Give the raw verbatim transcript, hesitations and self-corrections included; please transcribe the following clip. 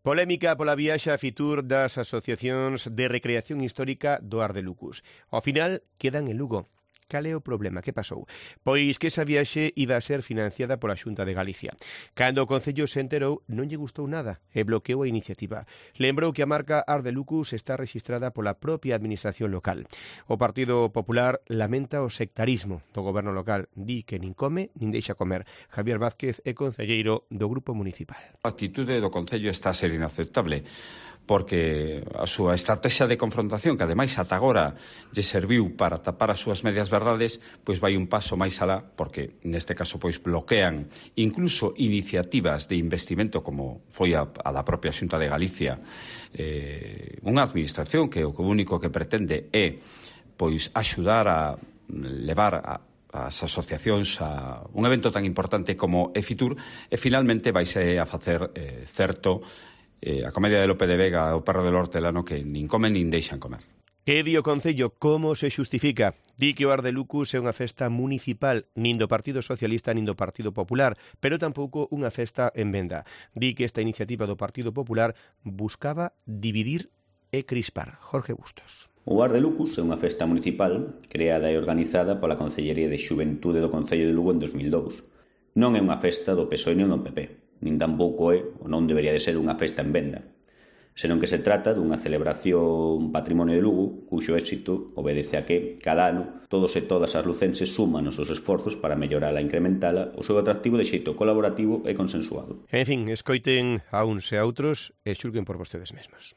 Polémica pola viaxe a Fitur das asociacións de recreación histórica do Ar de Lucus. Ao final, quedan en Lugo. Cal é o problema? Que pasou? Pois que esa viaxe iba a ser financiada pola Xunta de Galicia. Cando o Concello se enterou, non lle gustou nada e bloqueou a iniciativa. Lembrou que a marca Ar de Lucus está rexistrada pola propia administración local. O Partido Popular lamenta o sectarismo do goberno local. Di que nin come nin deixa comer. Javier Vázquez é concelleiro do Grupo Municipal. A actitude do Concello está a ser inaceptable, porque a súa estrategia de confrontación, que ademais ata agora lle serviu para tapar as súas medias verdades, pois vai un paso máis alá, porque neste caso pois bloquean incluso iniciativas de investimento como foi a, a da propia Xunta de Galicia, eh, unha administración que o único que pretende é pois axudar a levar a as asociacións a un evento tan importante como é Fitur, e finalmente vaise a facer eh, certo Eh, a comedia de Lope de Vega, o perro del hortelano, que nin comen nin deixan comer. Que di o Concello? Como se xustifica? Di que o Ar de Lucus é unha festa municipal, nin do Partido Socialista nin do Partido Popular, pero tampouco unha festa en venda. Di que esta iniciativa do Partido Popular buscaba dividir e crispar. Jorge Bustos. O Ar de Lucus é unha festa municipal creada e organizada pola Concellería de Xuventude do Concello de Lugo en dos mil dous. Non é unha festa do P S O E nin do P P. Nin tampouco é, ou non debería de ser, unha festa en venda, senón que se trata dunha celebración patrimonio de Lugo, cuxo éxito obedece a que, cada ano, todos e todas as lucenses suman os seus esforzos para mellorala e incrementala o seu atractivo de xeito colaborativo e consensuado. En fin, escoiten a uns e a outros e xulguen por vostedes mesmos.